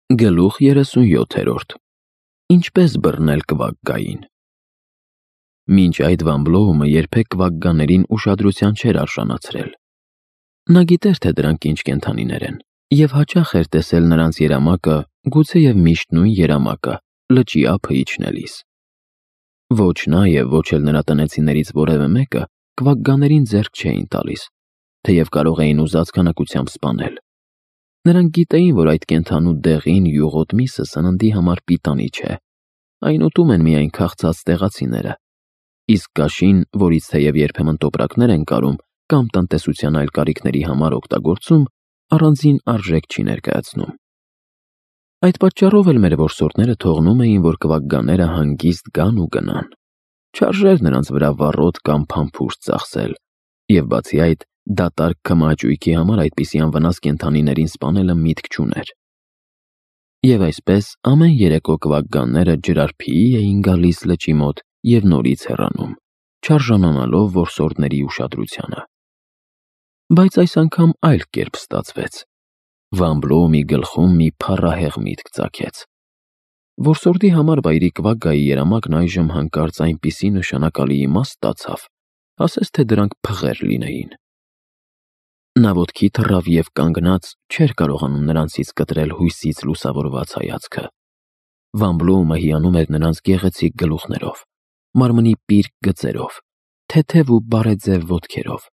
Գլուխ 37. Ինչպես բռնել կվակկային։ Մինչ այդ Վամբլոումը երբեք կվակկաներին ուշադրության չէր արժանացրել։ Նա գիտեր, թե դրանք ինչ կենդանիներ են, և հաճախ էր տեսել նրանց երամակը, գուցեև միշտ նույն երամակը, լճի ափը իջնելիս։ Ոչ նա և ոչ էլ նրա տնեցիներից որևէ մեկը կվակկաներին ձեռք չէին տալիս, թեև կարող էին ուզած քանակությամբ սպանել։ Նրանք գիտեին, որ այդ կենդանու դեղին յուղոտ միսը սննդի համար պիտանի չէ, այն ուտում են միայն քաղցած տեղացիները, իսկ կաշին, որից թեև երբեմն տոպրակներ են կարում կամ տնտեսության այլ կարիքների համար օգտագործում, առանձին արժեք չի ներկայացնում։ Այդ պատճառով էլ մեր որսորդները թողնում էին, որ կվակկաները հանգիստ գան ու գնան։ Չարժեր նրանց վրա վառոդ կամ փամփուշտ ծախսել, և բացի այդ, դատարկ քմահաճույքի համար այդպիսի անվնաս կենդանիներին սպանելը միտք չուներ։ Եվ այսպես ամեն երեկո կվակկանները ջրարփիի էին գալիս լճի մոտ և նորից հեռանում, չարժանանալով որսորդների ուշադրությանը։ Բայց այս անգամ այլ կերպ ստացվեց։ Վամբլոումի գլխում մի փառահեղ միտք ծագեց։ Որսորդի համար վայրի կվակկայի երամակն այժմ հանկարծ այնպիսի նշանակալի իմաստ ստացավ, ասես թե դրանք փղեր լինեին։ Նա ոտքի թռավ և կանգնած չէր կարողանում նրանցից կտրել հույսից լուսավորված հայացքը։ Վամբլոումը հիանում էր նրանց գեղեցիկ գլուխներով, մարմնի պիրկ գծերով, թեթև ու բարեձև ոտքերով,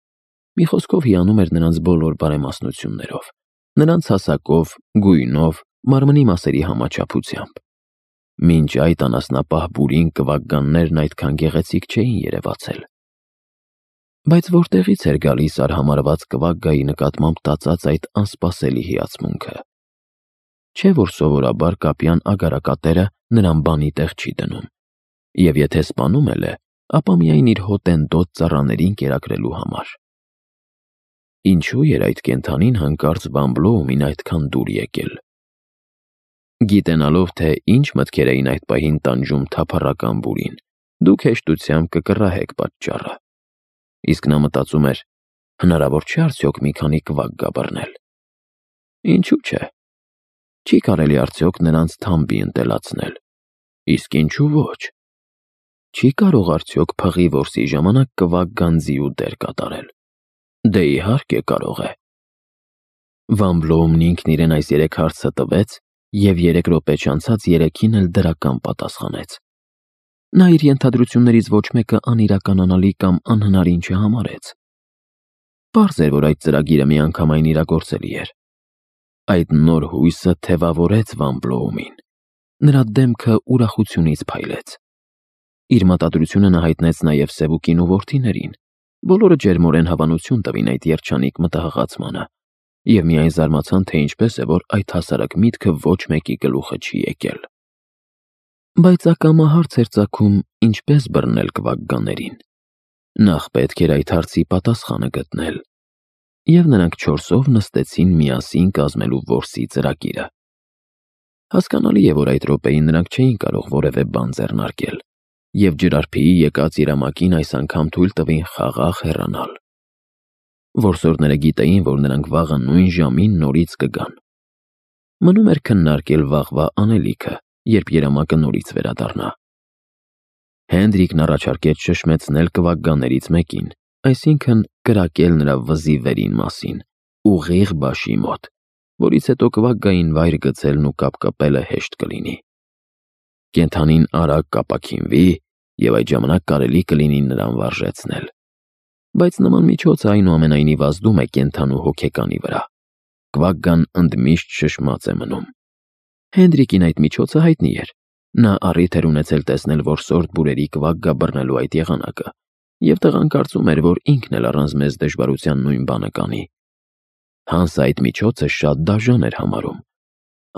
մի խոսքով հիանում էր նրանց բոլոր բարեմասնություններով, նրանց հասակով, գույնով, մարմնի մասերի համաչափությամբ։ Մինչ այդ անասնապահ բուրին կվակկաններն այդքան գեղեցիկ չէին երևացել։ Բայց որտեղից էր գալիս արհամարհված կվակկայի նկատմամբ տածած այդ անսպասելի հիացմունքը։ Չէ՞ որ սովորաբար կապյան ագարակատերը նրան բանի տեղ չի դնում, և եթե սպանում էլ է, ապա միայն իր հոտենտոտ ծառաներին կերակրելու համար։ Ինչու էր այդ կենդանին հանկարծ Վամբլոումին այդքան դուր եկել։ Գիտենալով, թե ինչ մտքեր էին այդ պահին տանջում թափառական բուրին, դուք հեշտությամբ կկռահեք պատճառը։ Իսկ նա մտածում էր. հնարավոր չէ արդյոք մի քանի կվակկա բռնել։ Ինչու՞ չէ։ Չի կարելի արդյոք նրանց թամբի ընտելացնել։ Իսկ ինչու ոչ։ Չի կարող արդյոք փղի որսի ժամանակ կվակկան ձիու դեր կատարել։ Դե իհարկե կարող է։ Վամբլոումն ինքն իրեն այս 3 հարցը տվեց և 3 րոպե չանցած երեքին էլ դրական պատասխանեց։ Նա իր ենթադրություններից ոչ մեկը անիրականանալի կամ անհնարին չհամարեց։ Պարզ էր, որ այդ ծրագիրը միանգամայն իրագործելի էր։ Այդ նոր հույսը թևավորեց Վամբլոումին։ Նրա դեմքը ուրախությունից փայլեց։ Իր մտադրությունը նա հայտնեց նաև Սևուկին ու որդիներին, բոլորը ջերմորեն հավանություն տվին այդ երջանիկ մտահղացմանը, և միայն զարմացան, թե ինչպես է, որ այդ հասարակ միտքը ոչ մեկի գլուխը չի եկել։ Բայց ակամա հարց էր ծագում, ինչպես բռնել կվակկաներին։ Նախ պետք էր այդ հարցի պատասխանը գտնել։ Եվ նրանք 4-ով նստեցին միասին կազմելու որսի ծրագիրը։ Հասկանալի է, որ այդ րոպեին նրանք չէին կարող որևէ բան ձեռնարկել, և ջրարփիի եկած երամակին այս անգամ թույլ տվին խաղաղ հեռանալ։ Որսորդները գիտեին, որ նրանք վաղը նույն ժամին նորից կգան։ Մնում էր քննարկել վաղվա անելիքը, երբ երամակը նորից վերադառնա։ Հենդրիկն առաջարկեց շշմեցնել կվակկաներից մեկին, այսինքն կրակել նրա վզի վերին մասին, ուղիղ բաշի մոտ, որից հետո կվակկային վայր գցելն ու կապկպելը հեշտ կլինի։ Կենդանին արագ կապաքինվի, և այդ ժամանակ կարելի կլինի նրան վարժեցնել։ Բայց նման միջոցը այնուամենայնիվ ազդում է կենդանու հոգեկանի վրա։ Կվակկան ընդմիշտ շշմած է մնում։ Հենդրիկին այդ միջոցը հայտնի էր։ Նա առիթ էր ունեցել տեսնել որսորդ բուրերի կվակկա բռնելու այդ եղանակը, և տղան կարծում էր, որ ինքն էլ առանց մեծ դժվարության նույն բանը կանի։ Հանսը այդ միջոցը շատ դաժան էր համարում։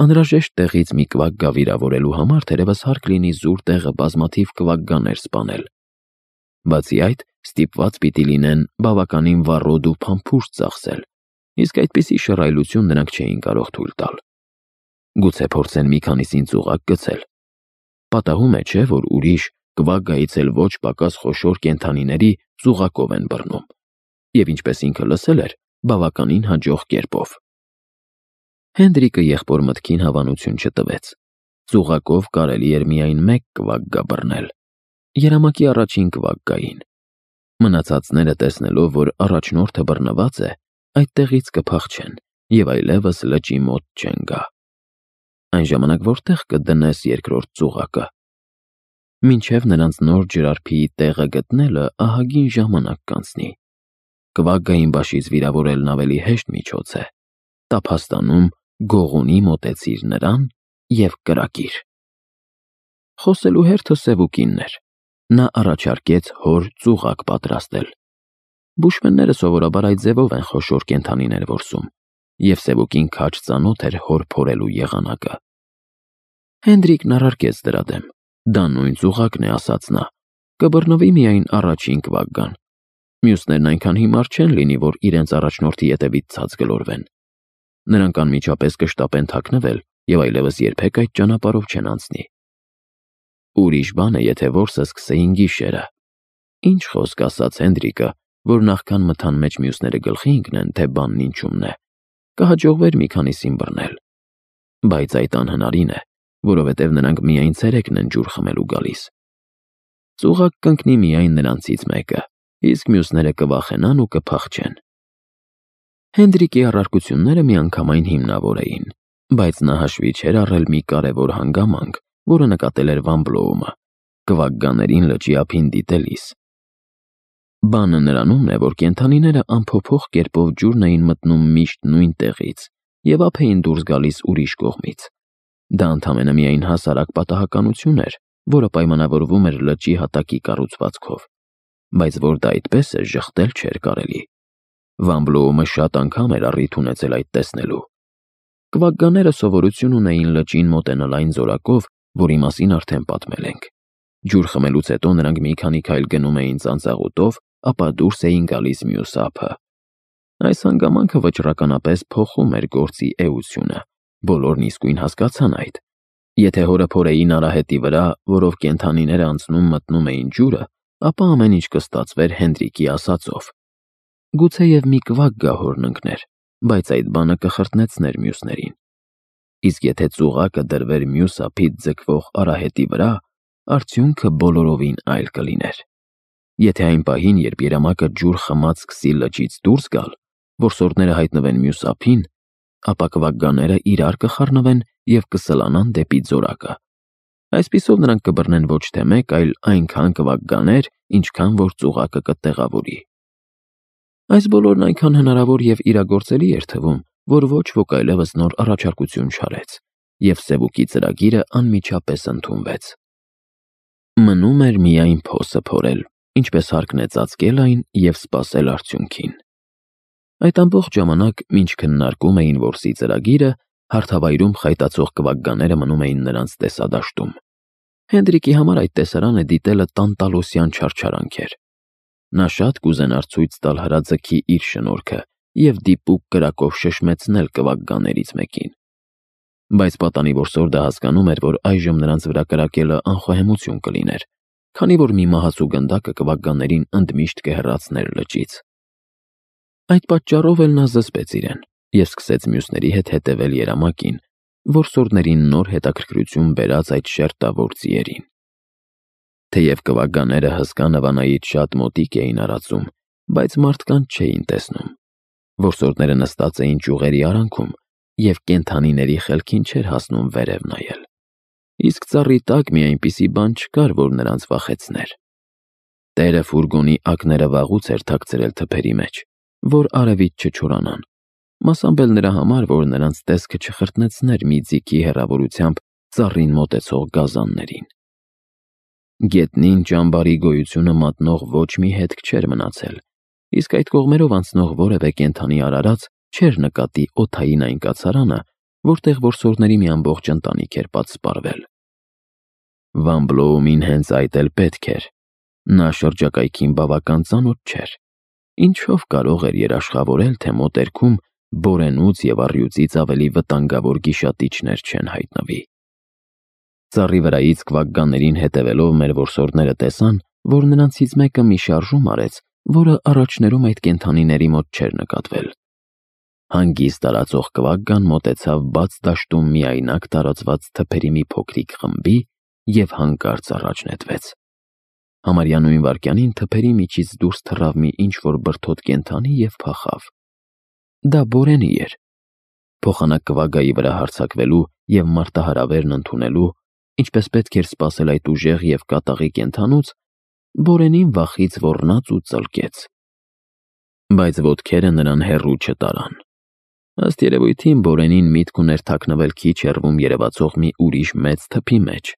Անհրաժեշտ տեղից մի կվակկա վիրավորելու համար թերևս հարկ լինի զուր տեղը բազմաթիվ կվակկաներ սպանել։ Բացի այդ, ստիպված պիտի լինեն բավականին վառոդ ու փամփուշտ ծախսել, իսկ այդպիսի շռայլություն նրանք չէին կարող թույլ տալ։ Գուցե փորձեն մի քանիսին ծուղակ գցել։ Պատահում է, չէ՞, որ ուրիշ կվակկայից էլ ոչ պակաս խոշոր կենդանիների ծուղակով են բռնում, և ինչպես ինքը լսել էր, բավականին հաջող կերպով։ Հենդրիկը եղբոր մտքին հավանություն չտվեց։ Ծուղակով կարելի էր միայն մեկ կվագգա բռնել։ Երամակի առաջին կվագգային։ Մնացածները տեսնելով, որ առաջնորդը բռնված է, այդտեղից կփախչեն և այլևս լճի մոտ չեն գա։ Այն ժամանակ որտեղ կդնես երկրորդ ծուղակը։ Մինչև նրանց նոր ջրարփիի տեղը գտնելը ահագին ժամանակ կանցնի։ Կվագգային բաշից վիրավորելն ավելի հեշտ միջոց է։ Տափաստանում գողունի մոտեցիր նրան և կրակիր։ Խոսելու հերթը Սևուկինն էր։ Նա առաջարկեց հոր ծուղակ պատրաստել։ Բուշմենները սովորաբար այդ ձևով են խոշոր կենդանիներ որսում, և Սևուկին քաջ ծանոթ էր հոր փորելու եղանակը։ Հենդրիկն առարկեց դրա դեմ։ Դա նույն ծուղակն է, ասաց նա, կբռնվի միայն առաջին կվագգան։ Մյուսներն այնքան հիմար չեն լինի, որ իրենց առաջնորդի ետևից ցած գլորվեն։ Նրանք անմիջապես կշտապեն թաքնվել և այլևս երբեք այդ ճանապարհով չեն անցնի։ Ուրիշ բան է, եթե որսը սկսեին գիշերը։ Ինչ խոսք, ասաց Հենդրիկը, որ նախքան մթան մեջ մյուսները գլխի ընկնեն, թե բանն ինչումն է, կհաջողվեր մի քանիսին բռնել։ Բայց այդ անհնարին է, որովհետև նրանք միայն ցերեկն են ջուր խմելու գալիս։ Ծուղակ կընկնի միայն նրանցից մեկը, իսկ մյուսները կվախենան ու կփախչեն։ Հենդրիկի առարկությունները միանգամայն հիմնավոր էին, բայց նա հաշվի չէր առել մի կարևոր հանգամանք, որը նկատել էր Վան Բլոումը, կվագգաներին լճի ափին դիտելիս։ Բանը նրանումն է, որ կենդանիները անփոփոխ կերպով ջուրն էին մտնում միշտ նույն տեղից և ափ էին դուրս գալիս ուրիշ կողմից։ Դա ընդամենը միայն հասարակ պատահականություն էր, որը պայմանավորվում էր լճի հատակի կառուցվածքով, բայց որ դա այդպես է, ժխտել չէր կարելի։ Վան Բլոումը շատ անգամ էր առիթ ունեցել այդ տեսնելու։ Կվագգաները սովորություն ունեին լճին մոտենալ այն զորակով, որի մասին արդեն պատմել ենք։ Ջուր խմելուց հետո նրանք մի քանի քայլ գնում էին ծանծաղուտով, ապա դուրս էին գալիս մյուս ափը։ Այս հանգամանքը վճռականապես փոխում էր գործի էությունը։ Բոլորն իսկույն հասկացան այդ։ Եթե հորը փորեին արահետի վրա, որով կենդանիները անցնում մտնում էին ջուրը, ապա ամեն ինչ կստացվեր Հենդրիկի ասածով։ Գուցեև մի կվագգա հորն ընկներ, բայց այդ բանը կխրտնեցներ մյուսներին։ Իսկ եթե ծուղակը դրվեր մյուս ափից ձգվող արահետի վրա, արդյունքը բոլորովին այլ կլիներ։ Եթե այն պահին, երբ երամակը ջուր խմած սկսի լճից դուրս գալ, որսորդները հայտնվեն մյուս ափին, ապա կվագգաները իրար կխառնվեն և կսլանան դեպի ձորակը։ Այսպիսով նրանք կբռնեն ոչ թե մեկ, այլ այնքան կվագգաներ, ինչքան որ ծուղակը կտեղավորի։ Այս բոլորն այնքան հնարավոր և իրագործելի էր թվում, որ ոչ ոք այլևս նոր առաջարկություն չարեց, և Սևուկի ծրագիրը անմիջապես ընդունվեց։ Մնում էր միայն փոսը փորել, ինչպես հարկն է ծածկել այն և սպասել արդյունքին։ Այդ ամբողջ ժամանակ, մինչ քննարկում էին որսի ծրագիրը, հարթավայրում խայտացող կվագգաները մնում էին նրանց տեսադաշտում։ Հենդրիկի համար այդ տեսարանը դիտելը տանտալոսյան չարչարանք էր։ Նա շատ կուզենար ցույց տալ հրաձգի իր շնորհքը և դիպուկ կրակով շշմեցնել կվագգաներից մեկին։ Բայց պատանի որսորդը հասկանում էր, որ այժմ նրանց վրա կրակելը անխոհեմություն կլիներ, քանի որ մի մահացու գնդակը կվագգաներին ընդմիշտ կհեռացներ լճից։ Այդ պատճառով էլ նա զսպեց իրեն և սկսեց մյուսների հետ հետևել երամակին, որսորդներին նոր հետաքրքրություն բերած այդ շերտավոր ձիերին։ Թեև կվագգաները հսկա նվանայից շատ մոտիկ էին արածում, բայց մարդկանց չէին տեսնում։ Որսորդները նստած էին ճյուղերի արանքում և կենդանիների խելքին չէր հասնում վերև նայել։ Իսկ ծառի տակ մի այնպիսի բան չկար, որ նրանց վախեցներ։ Տերը ֆուրգոնի ակները վաղուց էր թաքցրել թփերի մեջ, որ արևից չչորանան, մասամբ էլ նրա համար, որ նրանց տեսքը չխրտնեցներ մի ձիքի հեռավորությամբ ծառին մոտեցող գազաններին։ Գետնին ճամբարի գոյությունը մատնող ոչ մի հետք չէր մնացել, իսկ այդ կողմերով անցնող որևէ կենդանի արարած չէր նկատի օդային այն կացարանը, որտեղ որսորդների մի ամբողջ ընտանիք էր պատսպարվել։ Վան Բլոումին հենց այդ էլ պետք էր։ Նա շրջակայքին բավական ծանոթ չէր։ Ինչով կարող էր երաշխավորել, թե մոտերքում բորենուց և առյուծից ավելի վտանգավոր գիշատիչներ չեն հայտնվի։ Ծառի վրայից կվագգաներին հետևելով մեր որսորդները տեսան, որ նրանցից մեկը մի շարժում արեց, որը առաջներում այդ կենդանիների մոտ չէր նկատվել։ Հանգիստ տարածող կվագգան մոտեցավ բաց դաշտում միայնակ տարածված թփերի մի փոքրիկ խմբի և հանկարծ առաջ նետվեց։ Համարյա նույն վայրկյանին թփերի միջից դուրս թռավ մի ինչ-որ բրդոտ կենդանի և փախավ։ Դա Բորենի էր։ Փոխանակ կվագգայի վրա հարձակվելու և մարտահրավերն ընդունելու, ինչպես պետք էր սպասել այդ ուժեղ և կատաղի կենդանուց, Բորենին վախից ոռնաց ու ծլկեց։ Բայց ոտքերը նրան հեռու չտարան։ Ըստ երևույթին Բորենին միտք ուներ թաքնվել քիչ հեռվում երևացող մի ուրիշ մեծ թփի մեջ,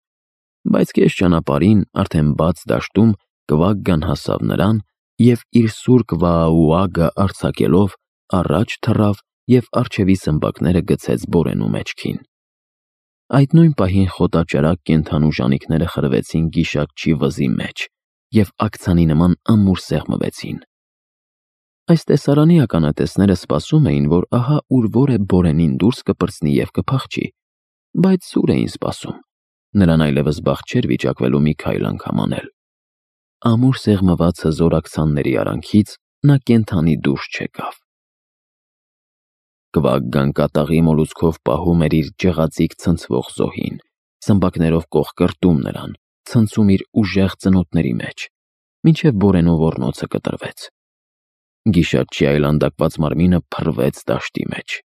բայց կես ճանապարհին արդեն բաց դաշտում կվագգան հասավ նրան և իր սուր կվաաուագը արձակելով առաջ թռավ և առջևի սմբակները գցեց Բորենու մեջքին։ Այդ նույն պահին խոտաճարակ կենդանու ժանիքները խրվեցին գիշակչի վզի մեջ և աքցանի նման ամուր սեղմվեցին։ Այս տեսարանի ականատեսները սպասում էին, որ ահա ուր-որ է Բորենին դուրս կպրծնի և կփախչի, բայց սուր էին սպասում, նրան այլևս բախտ չէր վիճակվելու մի քայլ անգամ անել։ Ամուր սեղմված հզոր աքցանների արանքից նա կենդանի դուրս չեկավ։ Կվագգան կատաղի մոլուցքով պահում էր իր ջղածիկ ցնցվող զոհին, սմբակներով կողկրտում նրան, ցնցում իր ուժեղ ծնոտների մեջ, մինչև Բորենու ոռնոցը կտրվեց։ Գիշատչի այլանդակված մարմինը փռվեց դաշտի մեջ։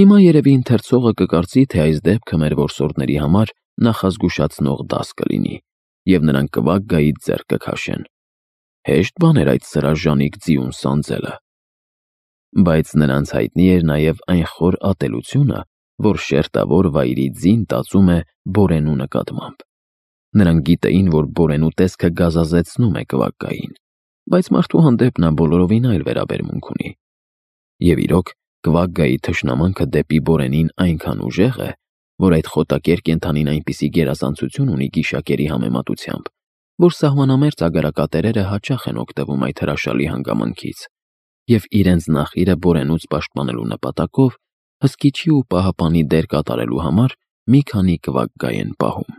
Հիմա երևի ընթերցողը կկարծի, թե այս դեպքը մեր որսորդների համար նախազգուշացնող դաս կլինի, և նրանք կվագգայից ձեռք կքաշեն։ Հեշտ բան էր այդ սրաժանիկ ձիուն սանձելը։ Բայց նրանց հայտնի էր նաև այն խոր ատելությունը, որ շերտավոր վայրի ձին տածում է Բորենու նկատմամբ։ Նրանք գիտեին, որ Բորենու տեսքը գազազեցնում է կվագգային, բայց մարդու հանդեպ նա բոլորովին այլ վերաբերմունք ունի։ Եվ իրոք, կվագգայի թշնամանքը դեպի Բորենին այնքան ուժեղ է, որ այդ խոտակեր կենդանին այնպիսի գերազանցություն ունի գիշակերի համեմատությամբ, որ սահմանամերձ ագարակատերերը հաճախ են օգտվում այդ հրաշալի հանգամանքից և իրենց նախիրը Բորենուց պաշտպանելու նպատակով հսկիչի ու պահապանի դեր կատարելու համար մի քանի կվագգայ են պահում։